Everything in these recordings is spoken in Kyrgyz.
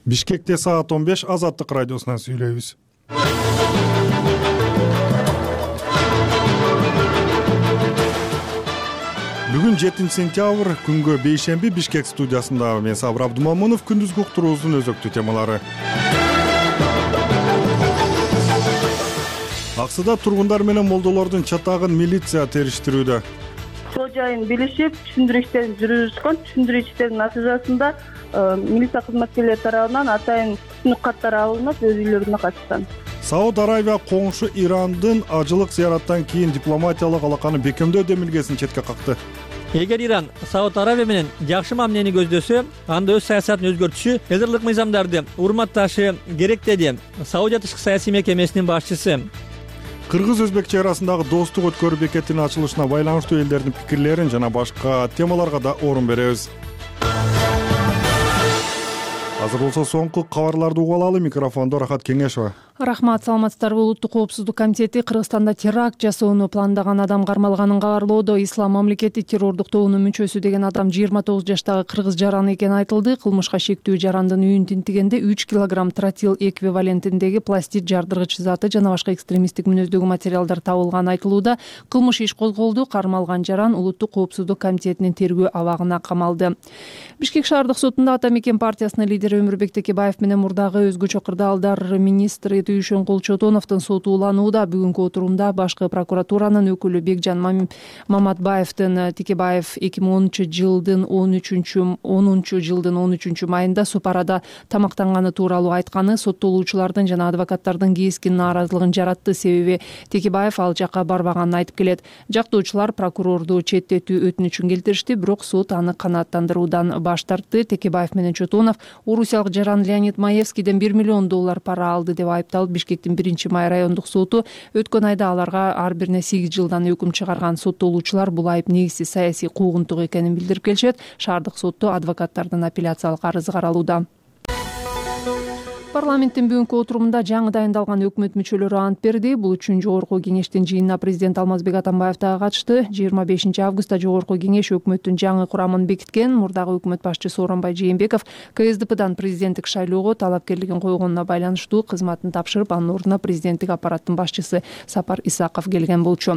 Бишкекте саат 15 Азаттык радиосунан сүйлөйбүз. Бүгүн 7-сентябрь, күнгө бейшемби. Бишкек студиясында мен Сабыр Абдумамунов. Күндүзгү уктуруубуздун өзөктүү темалары. Аксыда тургундар менен молдолордун чатагын милиция териштирүүдө. Сол жайын билишип, түшүндүрүү иштерин жүргүзүшкөн. Түшүндүрүү иштеринин натыйжасында милиция кызматкерлери тарабынан атайын түшүнүк каттар алынып, өз үйлөрүнө кайтышкан. Сауд Арабия коңшу Ирандын ажылык зыяраттан кийин дипломатиялык алаканы бекемдөө демилгесин четке какты. Эгер Иран Сауд Арабия менен жакшы мамилени көздөсө, анда өз саясатын өзгөртүшү, эзирлик мыйзамдарды урматташы керек, деди Саудия тышкы саясий мекемесинин башчысы. Кыргыз-өзбек чек арасындагы достук өткөрүү бекетинин ачылышына байланыштуу элдердин пикирлерин жана башка темаларга да орун беребиз. Азыр болсо соңку кабарларды угуп алалы. Микрофондо Рахат Кеңешова. Рахмат, саламатсыздарбы. Улуттук коопсуздук комитети Кыргызстанда теракт жасоону пландаган адам кармалганын кабарлоодо. Ислам мамлекети террордук тобунун мүчөсү деген адам 29 жаштагы кыргыз жаран экени айтылды. Кылмышка шектүү жарандын үйүн тинтигенде 3 килограмм тротил эквивалентиндеги пластид жардыргыч заты жана башка экстремисттик мүнөздөгү материалдар табылганы айтылууда. Кылмыш иш козголду. Кармалган жаран Улуттук коопсуздук комитетинин тергөө абагына камалды. Бишкек шаардык сотунда Ата Мекен партиясынын лидери Өмүрбек Текебаев менен мурдагы өзгөчө кырдаалдар министри Түйшөнкул Чотоновдун соту уланууда. Бүгүнкү отурумда башкы прокуратуранын өкүлү Бекжан Маматбаевдин Текебаев 2010 жылдын 13 майында Супарада тамактанганы тууралуу айтканы соттолуучулардын жана адвокаттардын кескин нааразылыгын жаратты. Себеби Текебаев ал жакка барбаганын айтып келет. Жактоочулар прокурорду четтетүү өтүнүчүн келтиришти, бирок сот аны канааттандыруудан баш тартты. Текебаев менен Чотонов орусиялык жаран Леонид Маевскийден $1 миллион пара алды деп айыпталып, Бишкектин 1-май райондук соту өткөн айда аларга ар бирине 8 жылдан өкүм чыгарган. Соттолуучулар бул айып негизсиз саясий куугунтук экенин билдирип келишет. Шаардык сотто адвокаттардын апелляциялык арызы каралууда. Парламенттин бүгүнкү отурумунда жаңы дайындалган өкмөт мүчөлөрү ант берди. Бул үчүн жогорку кеңештин жыйынына президент Алмазбек Атамбаев дагы катышты. 25 августта жогорку кеңеш өкмөттүн жаңы курамын бекиткен. Мурдагы өкмөт башчысы Сооронбай Жээнбеков КСДПдан президенттик шайлоого талапкерлигин койгонуна байланыштуу кызматын тапшырып, анын ордуна президенттик аппараттын башчысы Сапар Исаков келген болчу.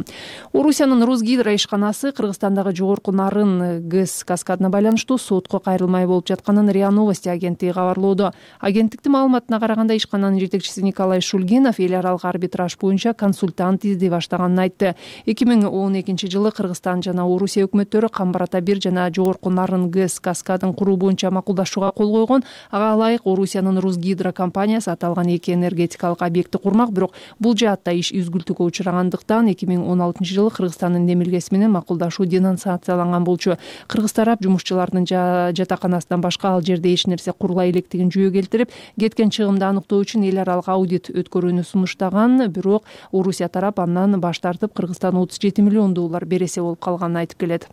Орусиянын Русгидро ишканасы Кыргызстандагы жогорку нарын ГЭС каскадына байланыштуу сотко кайрылмай болуп жатканын РИА Новости агенттиги кабарлоодо. Агенттиктин маалыматына караганда, ишкананын жетекчиси Николай Шульгинов эл аралык арбитраж боюнча консультант издей баштаганын айтты. 2012 жылы Кыргызстан жана Орусия өкмөттөрү Камбар Ата 1 жана жогорку нарын ГЭС каскадын куруу боюнча макулдашууга кол койгон. Ага ылайык Орусиянын Русгидро компаниясы аталган эки энергетикалык объектти курмак, бирок бул жаатта иш үзгүлтүүгө учурагандыктан 2016 жылы Кыргызстандын демилгеси менен макулдашуу денонсацияланган болчу. Кыргыз тарап жумушчулардын жатаканасынан башка ал жерде эч нерсе курулай электигин жүйө келтирип, кеткен чыгымды аныктоо үчүн эл аралык аудит өткөрүүнү сунуштаган, бирок Орусия тарап андан баш тартып, Кыргызстан $37 миллион бересе болуп калганын айтып келет.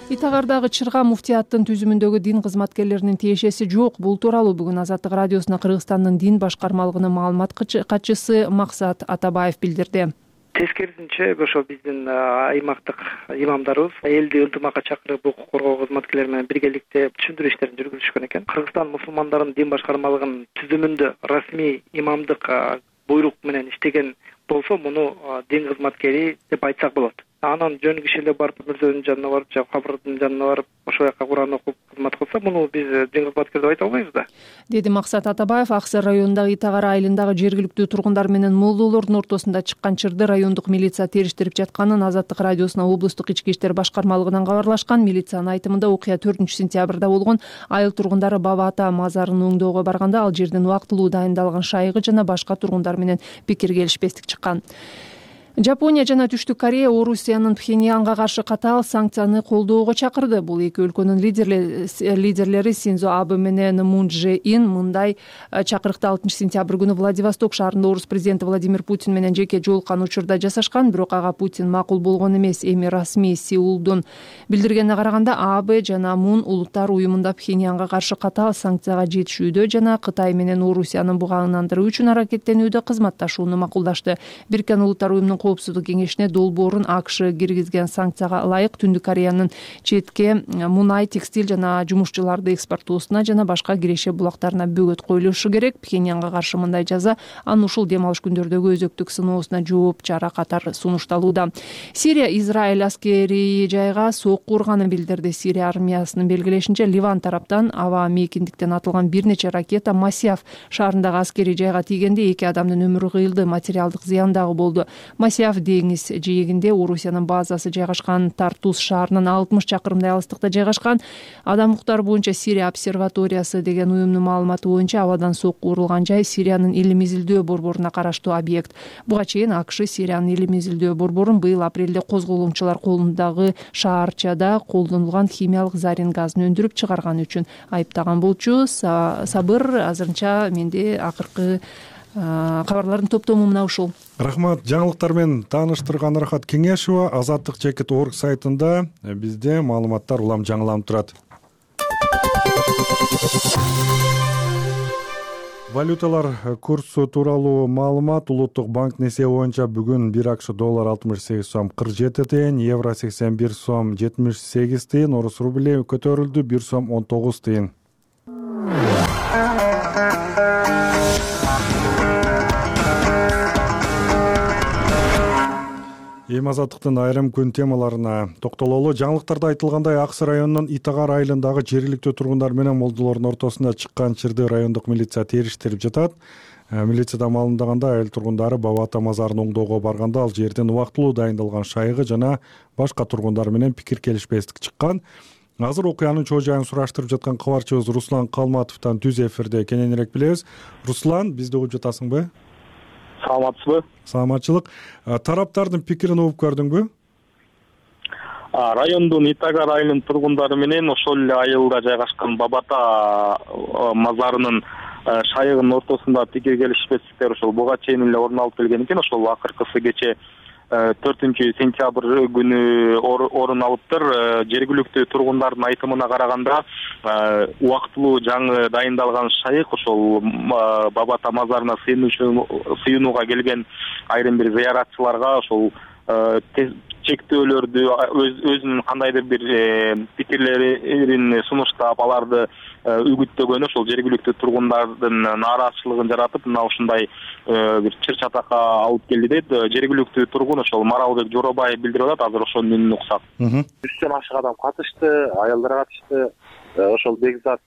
Итагардагы Чырга муфтияттын түзүмүндөгү дин кызматкерлеринин тиешеси жок. Бул тууралуу бүгүн Азаттык радиосуна Кыргызстандын дин башкармалыгынын маалымат катчысы Максат Атабаев билдирди. Тескерисинче, ошо биздин аймактык имамдарыбыз элди ынтымакка чакырып, укук коргоо кызматкерлери менен биргеликте түшүндүрүү иштерин жүргүзүшкөн экен. Кыргызстан мусулмандарынын дин башкармалыгынын түзүмүндө расмий имамдык буйрук менен иштеген болсо, муну дин кызматкери деп айтсак болот. Анан жөн киши барып, мирзөнүн жанына барып, же кабырдын жанына барып, ошол жака Куран окуп кызмат кылса, муну биз дин кызматкер деп айта албайбыз да, деди Максат Атабаев. Аксай районундагы Итагар айылындагы жергиликтүү тургундар менен молдолордун ортосунда чыккан чырды райондук милиция териштирип жатканын Азаттык радиосуна облустук ички иштер башкармалыгынан кабарлашкан. Милициянын айтымында, окуя 4-сентябрда болгон. Айыл тургундары Баба Ата мазарын оңдоого барганда ал жерден убактылуу дайындалган шайгы жана башка тургундар менен пикир келишпестик чыккан. Жапония жана Түштүк Корея Орусиянын Пхеньянга каршы катаал санкцияны колдоого чакырды. Бул эки өлкөнүн лидерлери Синдзо Абе менен Мун Чже Ин мындай чакырыкты 6-сентябрь күнү Владивосток шаарында орус президенти Владимир Путин менен жеке жолуккан учурда жасашкан, бирок ага Путин макул болгон эмес. Эми расмий Сеулдун билдиргенине караганда, Абе жана Мун улуттар уюмунда Пхеньянга каршы катаал санкцияга жетишүүдө жана Кытай менен Орусиянын буга ынандыруу үчүн аракеттенүүдө кызматташууну макулдашты. Бириккен Улуттар уюмунун коопсуздук кеңешине долбоорун АКШ киргизген санкцияга ылайык Түндүк Кореянын четке мунай, текстиль жана жумушчуларды экспорттоосуна жана башка киреше булактарына бөгөт коюлушу керек. Пхеньянга каршы мындай жаза анын ушул дем алыш күндөрдөгү өзөктүк сыноосуна жооп чара катары сунушталууда. Сирия Израиль аскерий жайга сокку урганын билдирди. Сирия армиясынын белгилешинче, Ливан тараптан аба мейкиндиктен атылган бир нече ракета Масияв шаарындагы аскерий жайга тийгенде 2 адамдын өмүрү кыйылды, материалдык зыян дагы болду. Масияв деңиз жээгинде Орусиянын базасы жайгашкан, Тартус шаарынан 60 чакырымдай алыстыкта жайгашкан. Адам укуктары боюнча Сирия обсерваториясы деген уюмдун маалыматы боюнча абадан сокку урулган жай Сириянын Илим изилдөө борборуна караштуу объект. Буга чейин АКШ Сириянын Илим изилдөө борборун быйыл апрелде козголумчулар колундагы шаарчада колдонулган химиялык зарин газын өндүрүп чыгарган үчүн айыптаган болчу. Сабыр, азырынча менде акыркы кабарлардын топтому мына ушул. Рахмат. Жаңылыктар менен тааныштырган Рахат Кеңешова. Азаттык.org сайтында бизде маалыматтар улам жаңыланып турат. Валюталар курсу тууралуу маалымат. Улуттук банк несие боюнча бүгүн 1 АКШ доллар 68 сом 47 тыйын, евро 81 сом 78 тыйын, орус рубли көтөрүлдү 1 сом 19 тыйын. Эми азаттыктын айрым күн темаларына токтололу. Жаңылыктарда айтылгандай, Аксы районунун Итагар айылындагы жергиликтүү тургундар менен молдолордун ортосунда чыккан чырды райондук милиция териштирип жатат. Милицияда маалымдаганда, айыл тургундары Баба Ата мазарын оңдоого барганда ал жерден убактылуу дайындалган шайыгы жана башка тургундар менен пикир келишпестик чыккан. Азыр окуянын чоо жайын сураштырып жаткан кабарчыбыз Руслан Калматовдон түз эфирде кененирээк билебиз. Руслан, бизди угуп жатасыңбы? Саламатсызбы? Саламатчылык. Тараптардын пикирин угуп көрдүңбү? Райондун Итагар айылынын тургундары менен ошол эле айылда жайгашкан Баба Ата мазарынын шайыгынын ортосунда пикир келишпестиктер ошол буга чейин эле орун алып келген экен. Ошол акыркысы кече 4-сентябрь күнү орун алыптыр. Жергиликтүү тургундардын айтымына караганда, убактылуу жаңы дайындалган шайык ошол Баба Ата мазарына сыйынууга келген айрым бир зыяратчыларга ошол чектөөлөрдү өзүнүн кандайдыр бир пикирлерин сунуштап, аларды үгүттөгөнү ошол жергиликтүү тургундардын нааразычылыгын жаратып, мына ушундай бир чыр чатакка алып келди дейт. Жергиликтүү тургун ошол Маралбек Жоробаев билдирип атат. Азыр ошонун үнүн уксак. 100дөн ашык адам катышты, аялдар катышты. Ошол Бекзат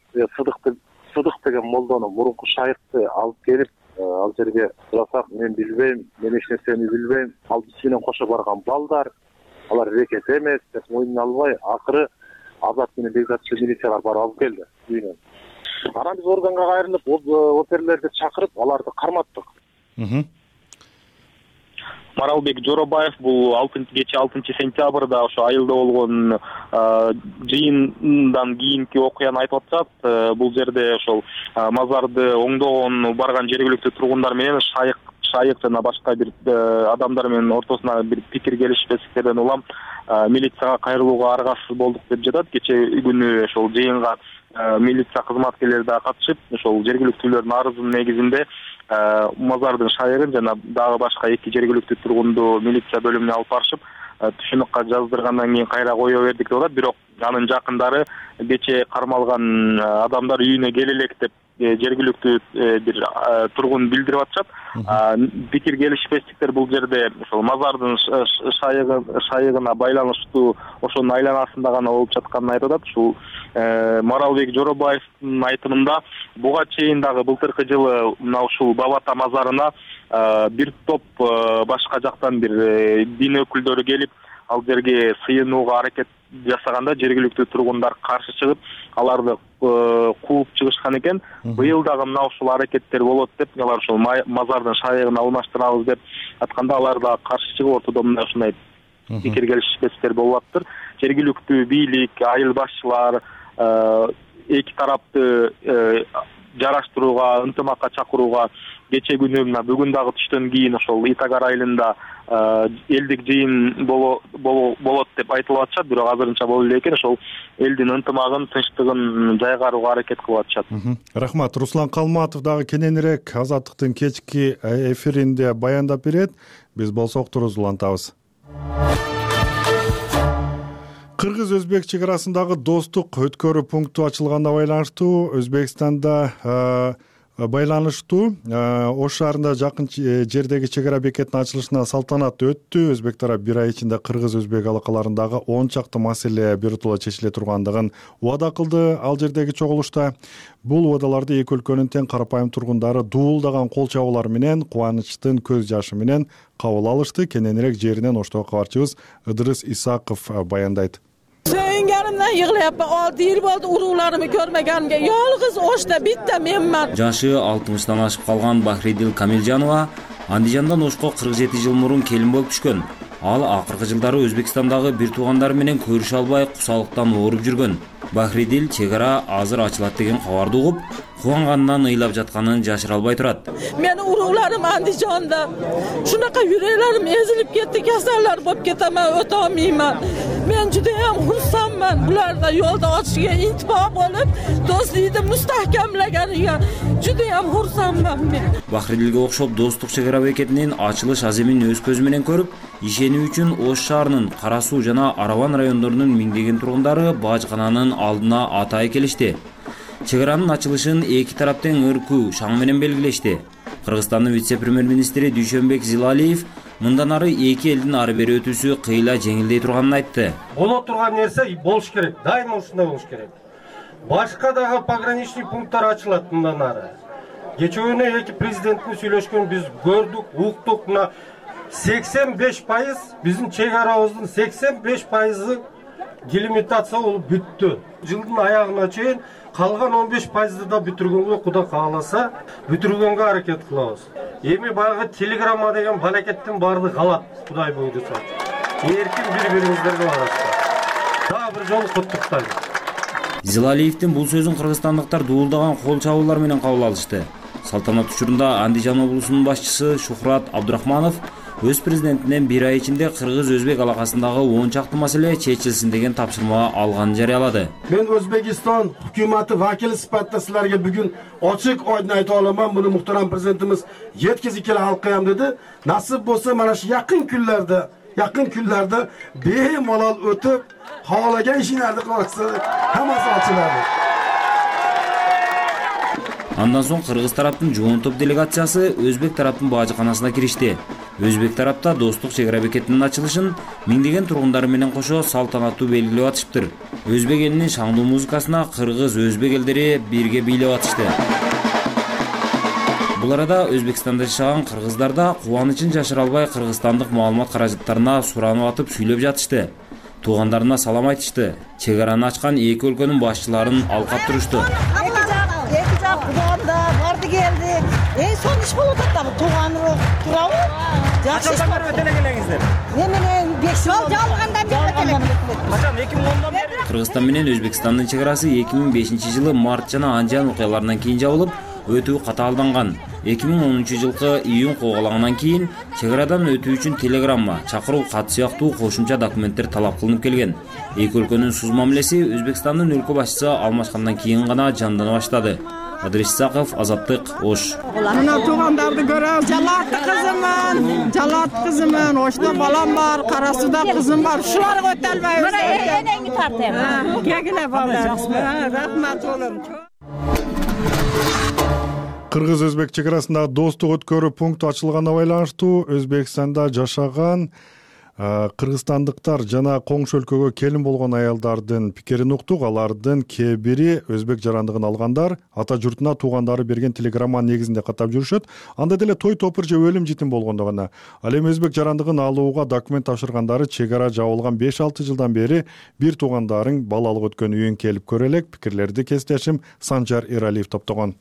Сыдык деген молдону мурунку шайыкты алып келип, ал жерге сурасак, мен билбейм, мен эч нерсени билбейм, ал биз менен кошо барган балдар, алар рекет эмес деп мойнуна албай, акыры Азат менен Бекзатчы милициялар барып алып келди үйүнөн. Анан биз органга кайрылып, оперлерди чакырып, аларды карматтык. Маралбек Жоробаев бул кече 6-сентябрда ошо айылда болгон жыйындан кийинки окуяны айтып атышат. Бул жерде ошол мазарды оңдогон барган жергиликтүү тургундар менен шайык жана башка бир адамдар менен ортосуна бир пикир келишпестиктерден улам милицияга кайрылууга аргасыз болдук деп жатат. Кече күнү ошол жыйынга милиция кызматкерлери да катышып, ошол жергиликтүүлөрдүн арызынын негизинде мазардын шайыгын жана дагы башка 2 жергиликтүү тургунду милиция бөлүмүнө алып барышып, түшүнүккө жаздыргандан кийин кайра кое бердик деп атат. Бирок анын жакындары кече кармалган адамдар үйүнө келе элек деп жергиликтүү бир тургун билдирип атышат. Пикир келишпестиктер бул жерде ошол мазардын шайыгына байланыштуу ошонун айланасында гана болуп жатканын айтып атат. Ушул Маралбек Жоробаевдин айтымында буга чейин дагы былтыркы жылы мына ушул Баба Ата мазарына бир топ башка жактан бир дин өкүлдөрү келип, ал жерге сыйынууга аракет жасаганда жергиликтүү тургундар каршы чыгып, аларды кууп чыгышкан экен. Быйыл дагы мына ушул аракеттер болот деп, алар ушул мазардын шайыгын алмаштырабыз деп атканда, алар да каршы чыгып, ортодо мына ушундай пикир келишпестиктер болуп атыптыр. Жергиликтүү бийлик, айыл башчылар эки тарапты жараштырууга, ынтымакка чакырууга кечээ күнү мына бүгүн дагы түштөн кийин ошол Итагар айылында элдик жыйын болот деп айтылып атышат, бирок азырынча боло элек экен. Ошол элдин ынтымагын, тынчтыгын жайгарууга аракет кылып атышат. Рахмат. Руслан Калматов дагы кененирээк Азаттыктын кечки эфиринде баяндап берет. Биз болсок туруп улантабыз. Кыргыз-өзбек чек арасындагы достук өткөрүү пункту ачылганына байланыштуу Өзбекстанда Ош шаарында жакын жердеги чек ара бекетинин ачылышына салтанат өттү. Өзбек тарап бир ай ичинде кыргыз-өзбек алакаларындагы 10 чакты маселе биротоло чечиле тургандыгын убада кылды. Ал жердеги чогулушта бул убадаларды эки өлкөнүн тең карапайым тургундары дуулдаган кол чабуулар менен, кубанычтын көз жашы менен кабыл алышты. Кененирээк жеринен Оштогу кабарчыбыз Ыдырыс Исаков баяндайт. Söyüngenimden yığılayapman. 6 yıl oldu uruğlarımı görmegenimge. Yalgız Oş'ta bitti menman. Жашы 60-тан ашып калган Бахридил Камилжанова Андижандан Ошко 47 жыл мурун келин болуп түшкөн. Ал акыркы жылдары Өзбекстандагы бир туугандары менен көрүшө албай кусалыктан ооруп жүргөн. Бахридил чек ара азыр ачылат деген кабарды угуп, кубанганынан ыйлап жатканын жашыра албай турат. Meni uruğlarım Andijanda. Şunaka yüreğlerim ezilip ketdi, kasallar bolup ketemen, öte olmayman. Men judayam xursandman. Bular da yolda açışga intibah bolup, dostluğunu mustahkamlaganiga judayam xursandman men. Бахридилге окшоп достук чек ара бекетинин ачылыш аземин өз көзү менен көрүп, ишенүү үчүн Ош шаарынын Кара Суу жана Араван райондорунун миңдеген тургундары бажкананын алдына атайы келишти. Чек аранын ачылышын эки тараптын ыркуу шаң менен белгилешти. Кыргызстандын вице-премьер-министри Дүйшөнбек Зилалиев мындан ары эки элдин ары бери өтүүсү кыйла жеңилдей турганын айтты. Боло турган нерсе болуш керек, дайыма ушундай болуш керек. Башка дагы пограничный пункттар ачылат мындан ары. Кечээ эки президенттин сүйлөшкөнүн биз көрдүк, уктук. Мына 85% биздин чек арабыздын 85% делимитация болуп бүттү. Жылдын аягына чейин калган 15%ды да бүтүргөнгө Кудай кааласа, бүтүргөнгө аракет кылабыз. Эми баягы телеграмма деген балакеттин баардыгы калат, Кудай буйруса. Эркин бири-бириңиздерге барасыздар. Дагы бир жолу куттуктайм. Зилалиевдин бул сөзүн кыргызстандыктар дуулдаган кол чабуулар менен кабыл алышты. Салтанат учурунда Андижан облусунун башчысы Шухрат Абдурахманов өз президентинен бир ай ичинде кыргыз-өзбек алакасындагы 10 чакты маселе чечилсин деген тапшырма алганын жарыялады. Мен Өзбекистан өкмөтү вакили сыпатта силерге бүгүн ачык ойдун айта аламан. Муну мухтарам президентimiz жеткизип келе алкаям деди. Насып болсо mana shu yaqin kunlarda bemalol o'tib, xohlagan ishinglarni qilasiz. Hammasi ochiladi. Андан соң кыргыз тараптын жоон топ делегациясы өзбек тараптын бажыканасына киришти. Өзбек тарапта достук чек ара бекетинин ачылышын миңдеген тургундары менен кошо салтанаттуу белгилеп атышыптыр. Өзбек элинин шаңдуу музыкасына кыргыз-өзбек элдери бирге бийлеп атышты. Бул арада Өзбекстанда жашаган кыргыздар да кубанычын жашыра албай кыргызстандык маалымат каражаттарына суранып атып сүйлөп жатышты. Туугандарына салам айтышты. Чек араны ачкан эки өлкөнүн башчыларын алкап турушту. Kudamda vardı geldi. Son iş bulup attı. Tuğanı turabı. Kaçan beri ötelegelenizler? Hemen 5 yıl jalgandan beri ötelegelenizler. Kaçan 2010'dan beri? Кыргызстан менен Өзбекстандын чек арасы 2005-жылы март жана Анжан окуяларынан кийин жабылып, өтүү катаалданган. 2010-жылкы июнь когалагандан кийин чек арадан өтүү үчүн телеграмма, чакыруу кат сыяктуу кошумча документтер талап кылынып келген. Эки өлкөнүн суз мамилеси Өзбекстандын өлкө башчысы алмашкандан кийин гана жандана баштады. Ыдырыс Исаков, Азаттык, Ош. Мына туугандарды көрөбүз. Жалат кызымын, Ошто балам бар, Кара Сууда кызым бар. Шуларга өтө албайбыз. Мына энеңи тартем. Кегиле балдар. Рахмат болом. Кыргыз-өзбек чек арасындагы достук өткөрүү пункту ачылганына байланыштуу Өзбекстанда жашаган кыргызстандыктар жана коңшу өлкөгө келин болгон аялдардын пикирин уктук. Алардын кээ бири өзбек жарандыгын алгандар ата журтуна туугандары берген телеграмманын негизинде каттап жүрүшөт. Анда деле той топур же өлүм житим болгондо гана. Ал эми өзбек жарандыгын алууга документ тапшыргандары чек ара жабылган 5-6 жылдан бери бир туугандарың балалык өткөн үйүн келип көрө элек. Пикирлерди кесиптешим Санжар Эралиев топтогон.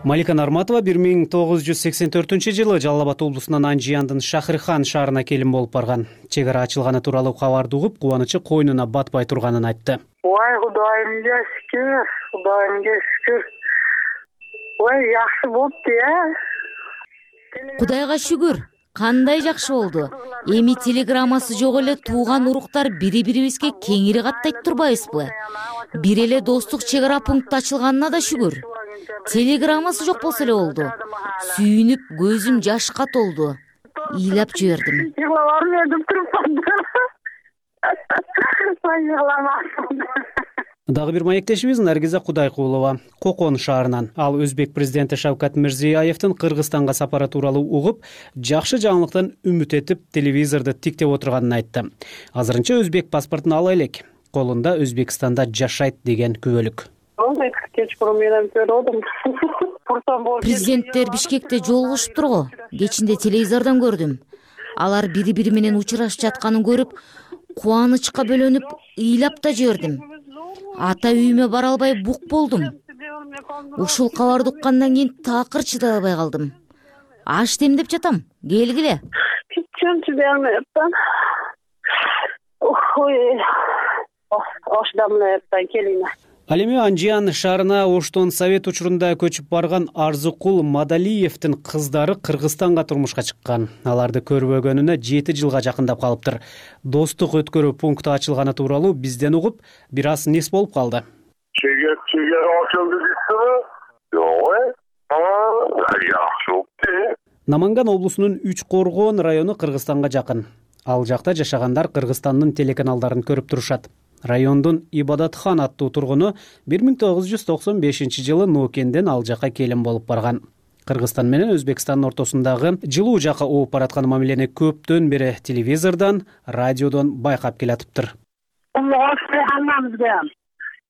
Малика Нарматова 1984-жылы Жалал Абад облусунун Анжияндын Шахрихан шаарына келин болуп барган. Чек ара ачылганы тууралуу кабарды угуп, кубанычы койнуна батпай турганын айтты. Ой, Кудайымга шүкүр, Кудайымга шүкүр. Ой, жакшы болупту, Кудайга шүгүр. Кандай жакшы болду. Эми телеграммасы жок эле тууган уруктар бири-бирибизге кеңири каттайт турбайбызбы? Бир эле достук чек ара пункту ачылганына да шүгүр. Телеграммасы жок болсо эле болду. Сүйүнүп, көзүм жашка толду. Ыйлап жибердим. Дагы бир маектешибиз Наргиза Кудайкулова Кокон шаарынан. Ал Өзбек президенти Шавкат Мирзиёевдин Кыргызстанга сапары тууралуу угуп, жакшы жаңылыктан үмүт этип, телевизорду тиктеп отурганын айтты. Азырынча өзбек паспортун ала элек. Колунда Өзбекстанда жашайт деген күбөлүк. Президенттер Бишкекте жолугушуптур го. Кечинде телевизордон көрдүм. Алар бири-бири менен учурашып жатканын көрүп, кубанычка бөлөнүп, ыйлап да жибердим. Ата үйүмө бара албай бук болдум. Ушул кабарды уккандан кийин такыр чыдай албай калдым. Аш демдеп жатам. Келгиле. Ал эми Анжиян шаарына оштон совет учурунда көчүп барган Арзыкул Мадалиевдин кыздары Кыргызстанга турмушка чыккан. Аларды көрбөгөнүнө 7 жылга жакындап калыптыр. Достук өткөрүү пункту ачылганы тууралуу бизден угуп, бир аз нес болуп калды. Чегер ачылды дейсизби? Наманган облусунун Үч Коргон району Кыргызстанга жакын. Ал жакта жашагандар Кыргызстандын телеканалдарын көрүп турушат. Райондун Ибадатхан аттуу тургуну 1995-жылы Нокенден ал жака келин болуп барган. Кыргызстан менен Өзбекстандын ортосундагы жылуу жака ооп бараткан мамилени көптөн бери телевизордон, радиодон байкап келатыптыр.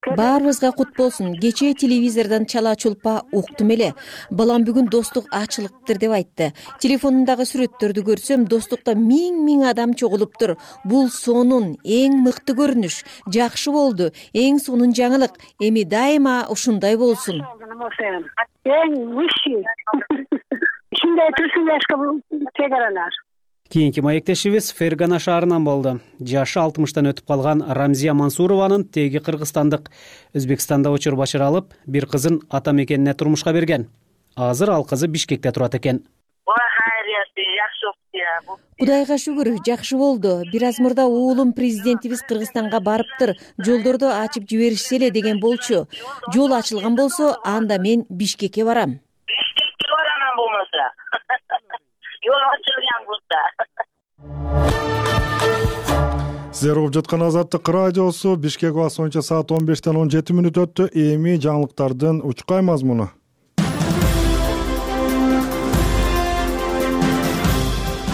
Баарыбызга кут болсун. Кечээ телевизордон чала чулпа уктум эле. Балам бүгүн достук ачылыптыр деп айтты. Телефонундагы сүрөттөрдү көрсөм, достукта миң адам чогулуптур. Бул сонун эң мыкты көрүнүш. Жакшы болду. Эң сонун жаңылык. Эми дайыма ушундай болсун. Кийинки маектешибиз Фергана шаарынан болду. Жашы 60-тан өтүп калган Рамзия Мансурованын теги кыргызстандык. Өзбекстанда учур башара алып, бир кызын ата мекенине турмушка берген. Азыр ал кызы Бишкекте турат экен. Кудайга шүгүр, жакшы болду. Бир аз мурда уулум президентибиз Кыргызстанга барыптыр. Жолдорду ачып жиберишсе эле деген болчу. Жол ачылган болсо, анда мен Бишкекке барам. Бишкекке барам болмаса. Сиздер угуп жаткан Азаттык радиосу. Бишкек убакыты боюнча саат 15-тен 17 мүнөт өттү. Эми жаңылыктардын учкай мазмуну.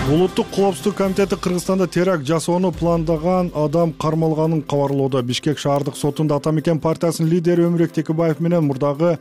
Улуттук коопсуздук комитети Кыргызстанда теракт жасоону пландаган адам кармалганын кабарлоодо. Бишкек шаардык сотунда Ата мекен партиясынын лидери Өмүрөк Текебаев менен мурдагы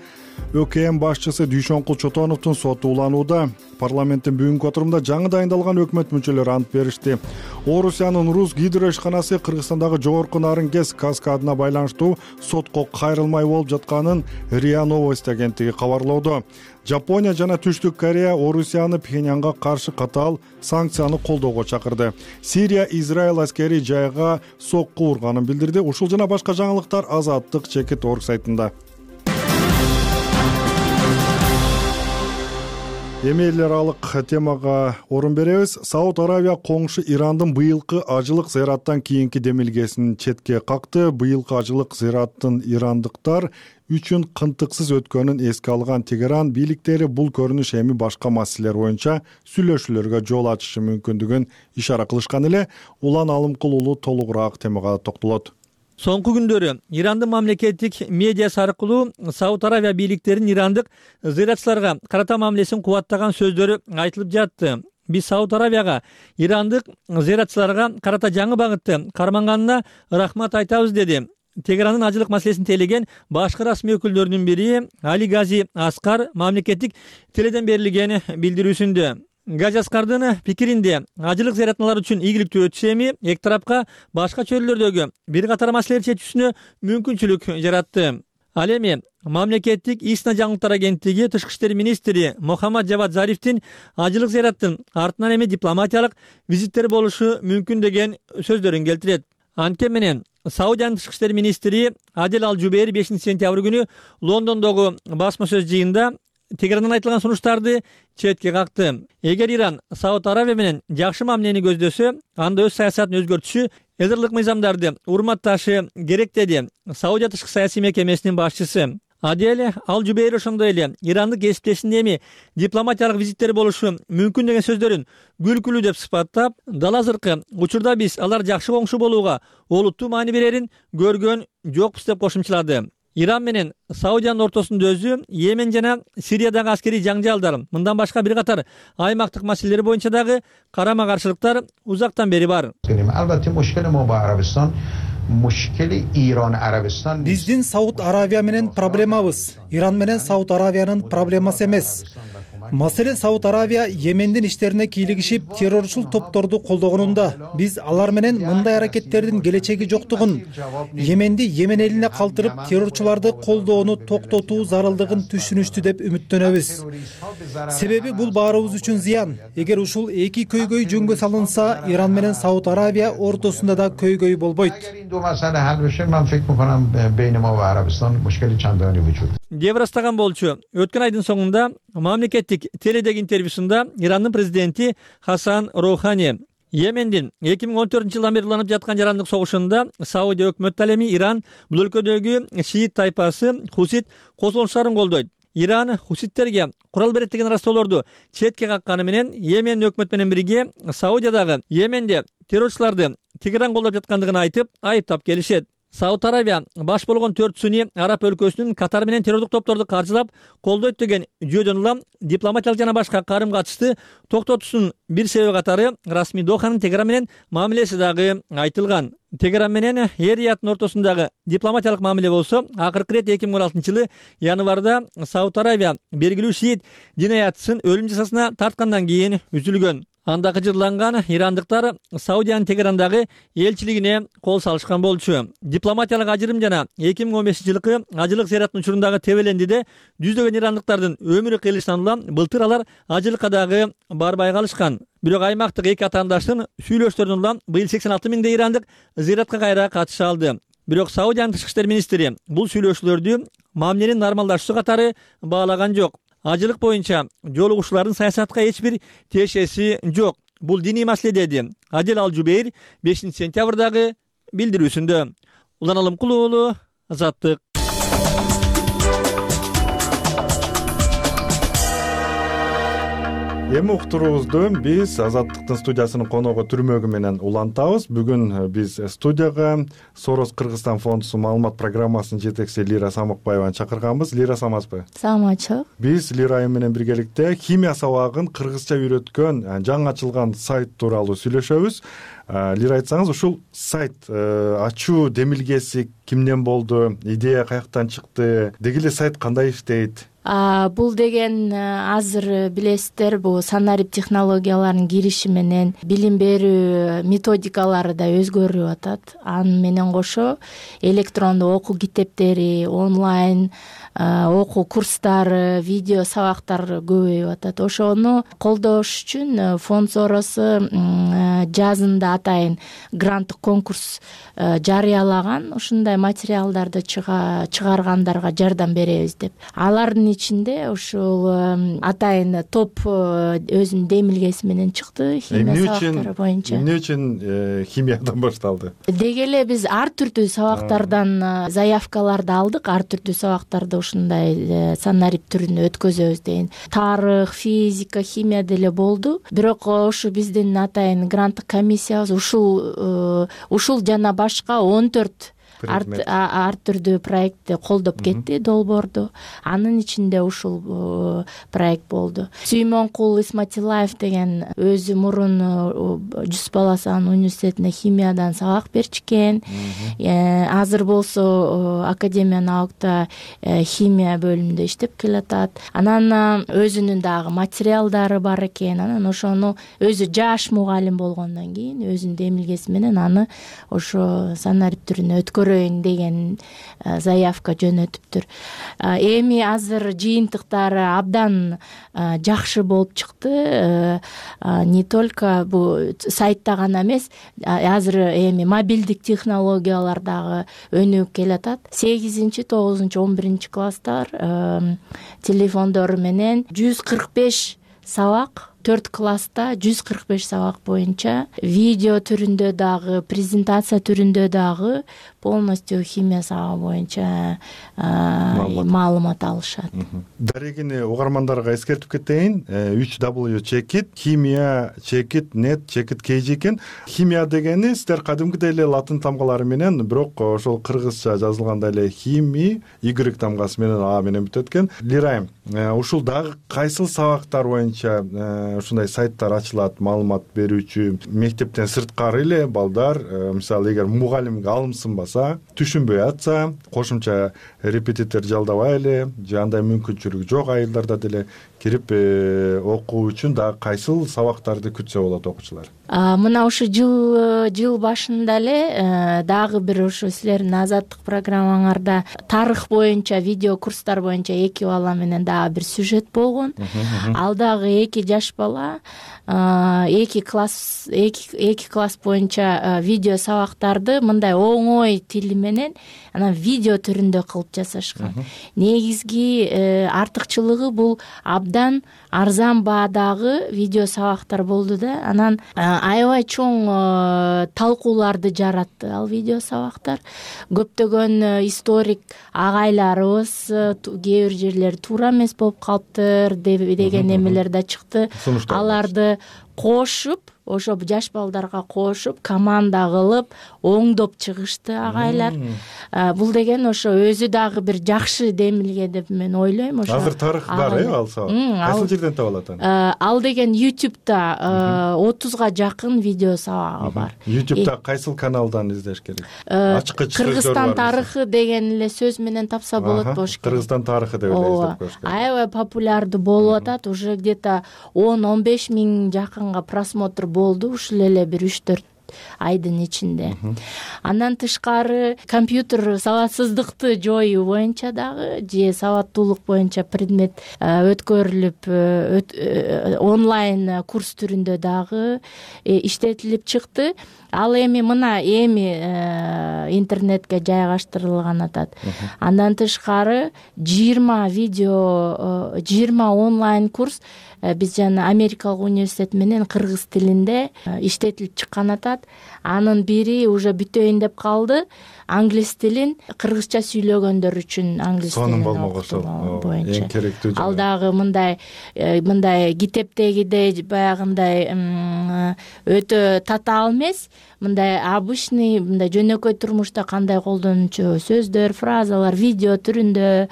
ÖKM башчысы Дүйшөнкул Чотоновдун соту уланууда. Парламенттин бүгүнкү отурумда жаңы дайындалган өкмөт мүчөлөрү ант беришти. Орусиянын Рус гидро ишканасы Кыргызстандагы жогорку Нарынгез каскадына байланыштуу сотко кайрылмай болуп жатканын РИА Новости агенттиги кабарлоодо. Жапония жана Түштүк Корея Орусияны Пхеньянга каршы катаал санкцияны колдоого чакырды. Сирия Израиль аскери жайга сокку урганын билдирди. Ушул жана башка жаңылыктар Азаттык Чекит.org сайтында. Эми эл аралык темага орун беребиз. Сауд Аравия коңшу Ирандын быйылкы ажылык зыяраттан кийинки демилгесин четке какты. Быйылкы ажылык зыяраттын ирандыктар үчүн кынтыксыз өткөнүн эске алган Тегеран бийликтери бул көрүнүш эми башка маселелер боюнча сүйлөшүүлөргө жол ачышы мүмкүндүгүн ишара кылышкан эле. Улан Алымкул уулу толугураак темага токтолот. Соңку күндөрү Ирандын мамлекеттик медиасы аркылуу Сауд Аравия бийликтеринин ирандык зыяратчыларга карата мамилесин кубаттаган сөздөрү айтылып жатты. Биз Сауд Аравияга ирандык зыяратчыларга карата жаңы багытты карманганына рахмат айтабыз, деди Тегерандын ажылык маселесин тейлеген башкы расмий өкүлдөрүнүн бири Али Гази Аскар мамлекеттик теледен берилген билдирүүсүндө. Гази Аскардын пикиринде ажылык зыяратчылар үчүн ийгиликтүү өтсө эми эки тарапка башка чөйрөлөрдөгү бир катар маселелерди чечүүсүнө мүмкүнчүлүк жаратты. Ал эми мамлекеттик ИСНА жаңылыктар агенттиги тышкы иштер министри Мухаммад Жавад Зарифтин ажылык зыяраттын артынан эми дипломатиялык визиттер болушу мүмкүн деген сөздөрүн келтирет. Анткени менен Саудиянын тышкы иштер министри Адел Ал-Жубейр 5-сентябрь күнү Лондондогу басма сөз жыйынында Тегерандан айтылган сунуштарды четке какты. Эгер Иран Сауд Аравия менен жакшы мамилени көздөсө, анда өз саясатын өзгөртүшү, эдерлик мыйзамдарды урматташы керек деди Саудия тышкы саясий мекемесинин башчысы. Адел Ал-Жубейр ошондой эле ирандык кесиптешинин эми дипломатиялык визиттери болушу мүмкүн деген сөздөрүн күлкүлүү деп сыпаттап, дал азыркы учурда биз алар жакшы коңшу болууга олуттуу маани берерин көргөн жокпуз деп кошумчалады. Иран менен Саудиянын ортосунда өзү Йемен жана Сириядагы аскерий жаңжалдар, мындан башка бир катар аймактык маселелер боюнча дагы карама каршылыктар узактан бери бар. Биздин Сауд Аравия менен проблемабыз Иран менен Сауд Аравиянын проблемасы эмес. Маселен, Сауд Аравия Йемендин иштерине кийлигишип, террорчул топторду колдогонунда биз алар менен мындай аракеттердин келечеги жоктугун, Йеменди Йемен элине калтырып, террорчуларды колдоону токтотуу зарылдыгын түшүнүштү деп үмүттөнөбүз. Себеби бул баарыбыз үчүн зыян. Эгер ушул эки көйгөй жөнгө салынса, Иран менен Сауд Аравия ортосунда да көйгөй болбойт. Деп ырастаган болчу. Өткөн айдын соңунда мамлекеттик теледеги интервьюсунда Ирандын президенти Хасан Роухани Йемендин 2014-жылдан бери уланып жаткан жарандык согушунда Саудия өкмөтү ал эми Иран бул өлкөдөгү шиит тайпасы Хусит косулуштарын колдойт. Иран хуситтерге курал берет деген ырастоолорду четке какканы менен Йемен өкмөтү менен бирге Саудиядагы Йеменде террорчуларды Тегеран колдоп жаткандыгын айтып, айыптап келишет. Сауд Аравия баш болгон 4 сүнний араб өлкөсүнүн Катар менен террордук топторду каржылап колдойт деген жүйөдөн улам дипломатиялык жана башка карым катышты токтотуусунун бир себеби катары расмий Доханын Тегеран менен мамилеси дагы айтылган. Тегеран менен Эр-Рияттын ортосундагы дипломатиялык мамиле болсо, акыркы ирет 2016-жылы январда Сауд Аравия белгилүү шиит динаятчысын өлүм жазасына тарткандан кийин үзүлгөн. Анда кыжырланган ирандыктар Саудиянын Тегерандагы элчилигине кол салышкан болчу. Дипломатиялык ажырым жана 2015-жылкы ажылык зыяраттын учурундагы тебелендиде жүздөгөн ирандыктардын өмүрү кыйылышынан улам былтыр алар ажылыкка дагы барбай калышкан. Бирок аймактык эки атаандаштын сүйлөшүлөрүнөн улам быйыл 86 миңдей ирандык зыяратка кайра катыша алды. Бирок Саудиянын тышкы иштер министри бул сүйлөшүүлөрдү мамиленин нормалдашуусу катары баалаган жок. Ажылык боюнча жолугушуулардын саясатка эч бир тиешеси жок. Бул диний маселе деди Адел Ал-Жубейр 5-сентябрдагы билдирүүсүндө. Улан Алымкулуу уулу, Азаттык. Эми уктуруубузду биз Азаттыктын студиясынын коногу түрмөгү менен улантабыз. Бүгүн биз студияга Сорос Кыргызстан фондусунун маалымат программасынын жетекчиси Лира Самокбаеваны чакырганбыз. Лира, саламатсызбы? Саламатчы. Биз Лира айым менен биргеликте химия сабагын кыргызча үйрөткөн жаңы ачылган сайт тууралуу сүйлөшөбүз. Лира, айтсаңыз, ушул сайт ачуу демилгеси кимден болду? Идея каяктан чыкты? Деги эле сайт кандай иштейт? Бул деген азыр билесиздер, бул санарип технологияларынын кириши менен билим берүү методикалары да өзгөрүп атат. Аны менен кошо электрондуу окуу китептери, онлайн окуу курстары, видео сабактар көбөйүп атат. Ошону колдош үчүн фонд Соросу жазында атайын гранттык конкурс жарыялаган. Ушундай материалдарды чыгаргандарга жардам беребиз деп. Алардын ичинде ушул атайын топ өзүнүн демилгеси менен чыкты химия сабактары боюнча. Эмне үчүн химиядан башталды? Деги эле биз ар түрдүү сабактардан заявкаларды алдык, ар түрдүү сабактарды ушундай санарип түрүнө өткөзөбүз деген. Тарых, физика, химия деле болду. Бирок ушу биздин атайын гранттык комиссиябыз ушул жана башка 14 ар түрдүү проектти колдоп кетти, долбоорду. Анын ичинде ушул проект болду. Сүймөнкул Исматилаев деген өзү мурун Жүз Баласан университетине химиядан сабак берчүкен. Азыр болсо Академия наукта химия бөлүмүндө иштеп келатат. Анан өзүнүн дагы материалдары бар экен. Анан ошону өзү жаш мугалим болгондон кийин өзүнүн демилгеси менен аны ошо санарип түрүнө өткөрүп көрөйүн деген заявка жөнөтүптүр. Эми азыр жыйынтыктары абдан жакшы болуп чыкты. Не только бул сайтта гана эмес, азыр эми мобилдик технологиялар дагы өнүгүп келатат. 8-9, 11 класстар телефондору менен 145 сабак, 4 класста 145 сабак боюнча видео түрүндө дагы, презентация түрүндө дагы полностью химия сабагы боюнча маалымат алышат. Дарегини угармандарга эскертип кетейин. 3W чекит, химия чекит, нет чекит KG экен. Химия дегени сиздер кадимкидей эле латын тамгалары менен, бирок ошол кыргызча жазылганда эле хими, Y тамгасы менен А менен бүтөт экен. Лирайым, ушул дагы кайсыл сабактар боюнча ушундай сайттар ачылат, маалымат берүүчү? Мектептен сырткары эле балдар, мисалы эгер мугалимге алымсынбаса, түшүнбөй атса, кошумча репетитор жалдабай эле, же андай мүмкүнчүлүгү жок айылдарда деле кирип окуу үчүн дагы кайсыл сабактарды күтсө болот окуучулар? Мына ушу жыл башында эле дагы бир ушу силердин азаттык программаңарда тарых боюнча, видео курстар боюнча 2 бала менен дагы бир сюжет болгон. Ал дагы 2 жаш бала 2 класс боюнча видео сабактарды мындай оңой тили менен анан видео түрүндө кылып жасашкан. Негизги артыкчылыгы бул абдан арзан баадагы видео сабактар болду да. Анан аябай чоң талкууларды жаратты ал видео сабактар. Көптөгөн историк агайларыбыз кээ бир жерлери туура эмес болуп калыптыр деген эмелер да чыкты. Аларды кошуп, ошо жаш балдарга кошуп, команда кылып, оңдоп чыгышты агайлар. Бул деген ошо өзү дагы бир жакшы демилге деп мен ойлойм. Ошо азыр тарых бар, ал сабак. Кайсыл жерден таба алат аны? Ал деген YouTube'да 30га жакын видео сабагы бар. YouTube'да кайсыл каналдан издеш керек? Ачкыч Кыргызстан тарыхы деген эле сөз менен тапса болот болуш керек. Кыргызстан тарыхы деп эле издеп коюш керек. Аябай популярдуу болуп атат, уже где-то 10-15 миң жакынга просмотр болду ушул эле бир 3-4 айдын ичинде. Андан тышкары компьютер сабатсыздыкты жоюу боюнча дагы же сабаттуулук боюнча предмет өткөрүлүп онлайн курс түрүндө дагы иштетилип чыкты. Ал эми интернетке жайгаштырылган атат. Андан тышкары 20 онлайн курс биз жана Америкалык университет менен кыргыз тилинде иштетилип чыккан атат. Анын бири уже бүтөйүн деп калды. Англис тилин кыргызча сүйлөгөндөр үчүн англис тилин окутуу боюнча. Эң керектүү. Ал дагы мындай китептегидей баягындай өтө татаал эмес, мындай обычный, мындай жөнөкөй турмушта кандай колдонуучу сөздөр, фразалар видео түрүндө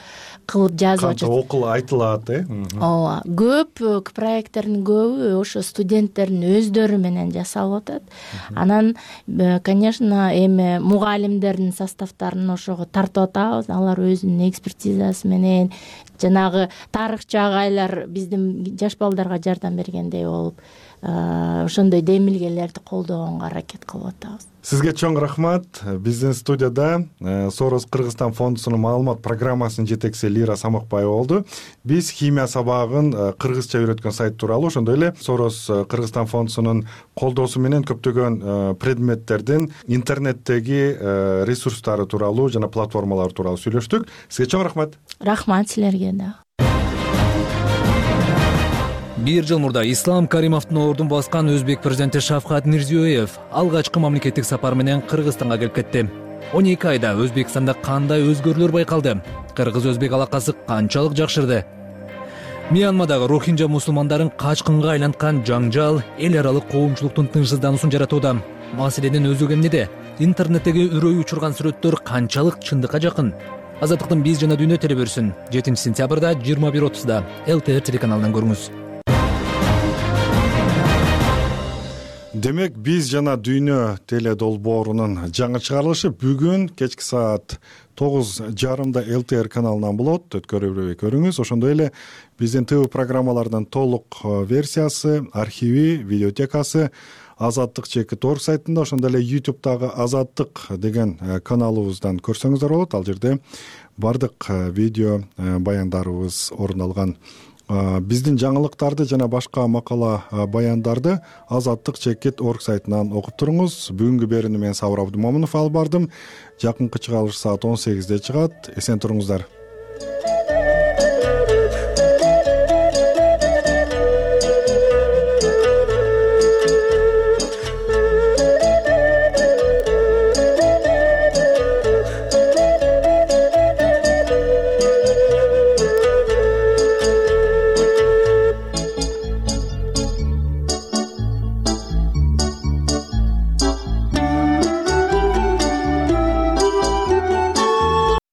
кылып жазып атат. Окул айтылат, Ооба. Көп проекттердин көбү ошо студенттердин өздөрү менен жасалып атат. Анан, конечно, эми мугалимдердин составтарын ошого тартып атабыз. Алар өзүнүн экспертизасы менен жанагы тарыхчы агайлар биздин жаш балдарга жардам бергендей болуп, ошондой демилгелерди колдогонго аракет кылып атабыз. Сизге чоң рахмат. Биздин студияда Сорос Кыргызстан фондусунун маалымат программасынын жетекчиси Лира Самакбаева болду. Биз химия сабагын кыргызча үйрөткөн сайт тууралуу, ошондой эле Сорос Кыргызстан фондусунун колдоосу менен көптөгөн предметтердин интернеттеги ресурстары тууралуу жана платформалар тууралуу сүйлөштүк. Сизге чоң рахмат. Рахмат силерге да. Бир жыл мурда Ислам Каримовдун ордун баскан өзбек президенти Шавкат Мирзиёев алгачкы мамлекеттик сапар менен Кыргызстанга келип кетти. 12 айда Өзбекстанда кандай өзгөрүүлөр байкалды? Кыргыз-өзбек алакасы канчалык жакшырды? Мьянмадагы рохинджа мусулмандарын качкынга айланткан жаңжал эл аралык коомчулуктун тынчсыздануусун жаратууда. Маселенин өзү эмнеде? Интернеттеги үрөй учурган сүрөттөр канчалык чындыкка жакын? Азаттыктын биз жана дүйнө телебөрүсүн 7 сентябрда 21:30 ЛТР телеканалынан көрүңүз. Демек биз жана дүйнө теле долбоорунун жаңы чыгарылышы бүгүн кечки саат 9:30 ЛТР каналынан болот. Өткөрүп көрүңүз. Ошондой эле биздин ТВ программалардын толук версиясы, архиви, видеотекасы Азаттык /org сайтында, ошондой эле YouTube'дагы Азаттык деген каналыбыздан көрсөңүздөр болот. Ал жерде бардык видео баяндарыбыз орун алган. Биздин жаңылыктарды жана башка макала баяндарды Азаттык /org сайтынан окуп туруңуз. Бүгүнкү берүүнү мен Сабыр Абдымомунов алып бардым. Жакынкы чыгарылыш саат 18:00 чыгат. Эсен туруңуздар.